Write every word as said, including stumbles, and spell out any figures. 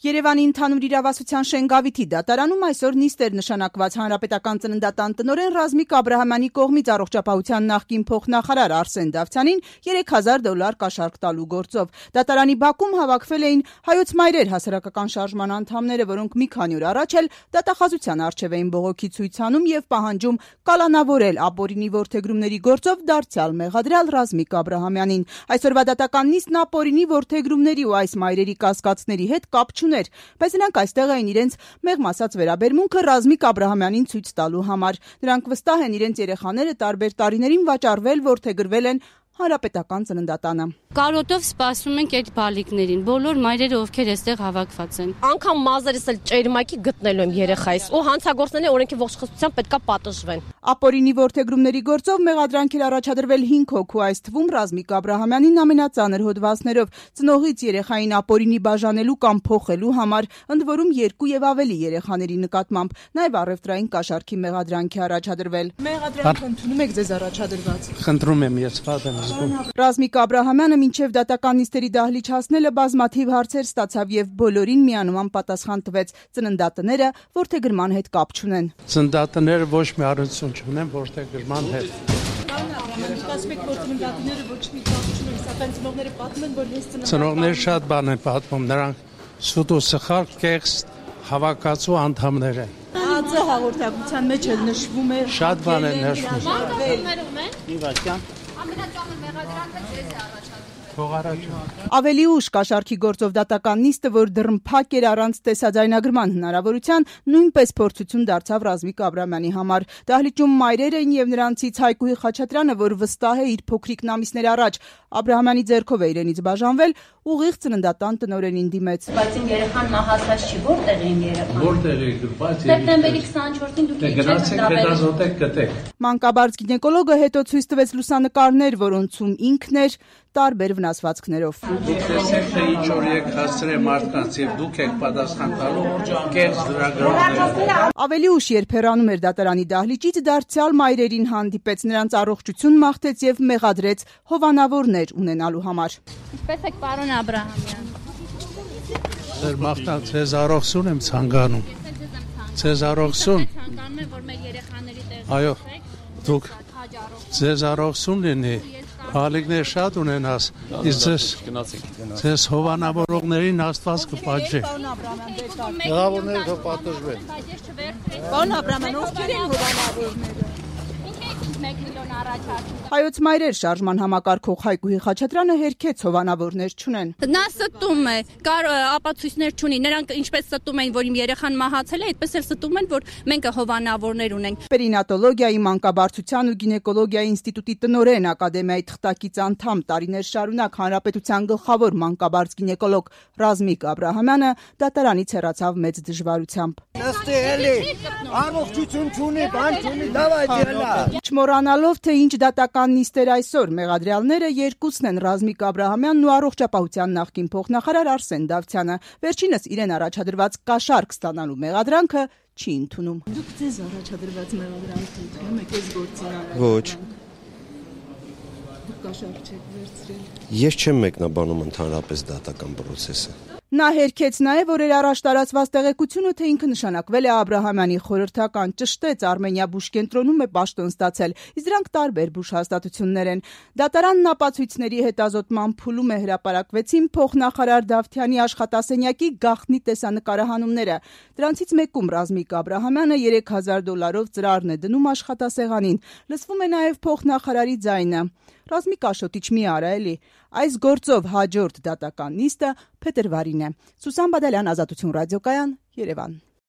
Երևանի ընդհանուր իրավասության Շենգավիթի դատարանում այսօր նիստ էր նշանակված հանրապետական ծննդատան տնօրեն Ռազմիկ Աբրահամյանի կողմից առողջապահության նախկին փոխնախարար Արսեն Դավթյանին երեք հազար դոլար կաշառք տալու գործով։ Դատարանի բակում հավաքվել էին Հայոց մայրեր հասարակական շարժման անդամները, որոնք մի քանի օր առաջ էլ դատախազության առջև էին բողոքի ցույց անում եւ պահանջում կալանավորել ապօրինի որդեգրումների գործով դարձյալ մեղադրյալ Ռազմիկ Աբրահամյանին։ Այսօրվա դատական նիստն ապօրինի որդեգրումների ու այս մայրերի կասկածների հետ կապ չուներ, բայց նրանք այստեղ էին իրենց մեղմ ասած վերաբերմունքը Ռազմիկ Աբրահամյանին ցույց տալու համար։ Նրանք վստահ են իրենց երեխաները տարբեր տարիներին վաճառվել, որդեգրվել են հանրապետական ծննդատանը։ Կարոտով սպասում ենք այդ բալիկներին, բոլոր մայրերը, ովքեր այստեղ հավաքված են։ Անկամ մազերս էլ ճերմակի գտնելու եմ երեխայիս, ու հանցագործները օրենքի ողջխոսության պետքա պատժվեն։ Ապօրինի որդեգրումների գործով մեղադրանք էր առաջադրվել հինգ հոգու, այս թվում Ռազմիկ Աբրահամյանին ամենածանր հոդվածներով, ծնողից երեխային ապօրինի բաժանելու կամ փոխելու համար, ընդ որում երկու եւ ավելի երեխաների նկատմամբ, նաեւ առևտրային կաշառքի մեղադրանք է առաջադրվել։ Մեղադրանք ընդունում եք ձեզ առաջադրված։ Խնդրում եմ, ես վատ եմ։ Ռազմիկ Աբրահամյանը մինչև դատական նիստերի դահլիճ հասնելը բազմաթիվ հարցեր ստացավ եւ բոլորին միանման պատասխան տվեց։ Ծննդատները որդեգրման հետ կապ չունեն։ Ծննդատները ոչ մի առնչություն չունեն որդեգրման հետ։ Ծնողները շատ բան են պատմում, նրանք սուտ ու սխալ կեղծ հավաքածու անդամներ են։ Ածը հաղորդակցության մեջ էլ նշվում է։ Շատ բան է նշվում։ Ավելի ուշ կաշառքի գործով դատական նիստը, որ դռնփակ էր առանց տեսաձայնագրման հնարավորության, նույնպես փորձություն դարձավ Ռազմիկ Աբրահամյանի համար։ Դահլիճում մայրեր էին եւ նրանցից Հայկուհի Խաչատրյանը, որ վստահ է իր փոքրիկն ամիսներ առաջ Աբրահամյանի ձեռքով է իրենից բաժանվել, ուղիղ ծննդատան տնօրենին դիմեց։ Բայց իմ երեխան մահացած չի, որտեղ է իմ երեխան։ Որտեղ է դուք։ Սեպտեմբերի քսանչորսին դուք եք Մանկաբարձ գինեկոլոգը հետո ցույց տվեց լուսանկարներ, որոնցում ինքն էր տարբեր վնասվածքներով։ Դուք տեսեք, թե ինչ որ եք հասցրել մարդկանց եւ դուք եք պատասխան տալու կեղծ լրագրողներին։ Ավելի ուշ, երբ հեռանում էր դատարանի դահլիճից, դարձյալ մայրերին հանդիպեց, նրանց առողջություն մաղթեց եւ մեղադրեց հովանավորներ ունենալու համար։ Ինչպես եք, պարոն Աբրահամյան։ Ձեր մաղթան ձեզ առողջություն եմ ցանկանում։ Ձեզ առողջություն։ Ցանկանում եմ, որ մեր երեխաների տեղ։ Այո, դուք ձեզ առողջություն լինի։ Բալիկներ շատ ունենաս, իսկ ձեզ ձեզ հովանավորողներին Աստված կպատժի։ Հովանավորները կպատժվեն։ Պարոն Աբրահամյան, ովքեր են հովանավորները։ մեկ միլիոն առաջարկում։ Հայոց մայրեր շարժման համակարգող Հայկուհի Խաչատրյանը հերքեց հովանավորներ չունեն։ Նա ստում է, կար ապացույցներ չունի։ Նրանք ինչպես ստում էին, որ իմ երեխան մահացել է, այդպես էլ ստում են, որ մենք հովանավորներ ունենք։ Պերինատոլոգիայի, մանկաբարձության ու գինեկոլոգիայի ինստիտուտի տնօրեն, ակադեմիայի թղթակից անդամ, տարիներ շարունակ հանրապետության գլխավոր մանկաբարձ գինեկոլոգ Ռազմիկ Աբրահամյանը դատարանից հեռացավ մեծ դժվարությամբ։ Առողջություն չունի, բան չունի, դավայ դելա։ Չմոռանալով, թե ինչ դատական նիստեր այսօր, մեղադրյալները երկուսն են Ռազմիկ Աբրահամյանն ու առողջապահության նախկին փոխնախարար Արսեն Դավթյանը։ Վերջինս իրեն առաջադրված կաշառք ստանալու մեղադրանքը չի ընդունում։ Դուք ձեզ առաջադրված մեղադրանքը ընդունում եք այս գործին։ Ոչ։ Դուք կաշառք չեք վերցրել։ Ես չեմ մեկնաբանում ընդհանրապես դատական process-ը։ Նա հերքեց նաև օրեր առաջ տարածված տեղեկությունը, թե ինքը նշանակվել է Աբրահամյանի խորհրդական, ճշտեց Արմենիա բուժ կենտրոնում է պաշտոն ստացել, իսկ դրանք տարբեր բուժ հաստատություններ են։ Դատարանն ապացույցների հետազոտման փուլում է հրապարակվեցին փոխնախարար Դավթյանի աշխատասենյակի գաղտնի տեսանկարահանումները։ Դրանցից մեկում Ռազմիկ Աբրահամյանը երեք հազար դոլարով ծրարն է դնում աշխատասեղանին։ Լսվում է նաև փոխնախարարի ձայնը։ Ռազմիկ Աշոտիչ մի արա էլի։ Այս գործով հաջորդ դատական նիստը փետրվարին է։ Սուսան Բադալյան, Ազատություն ռադիոկայան, Երևան։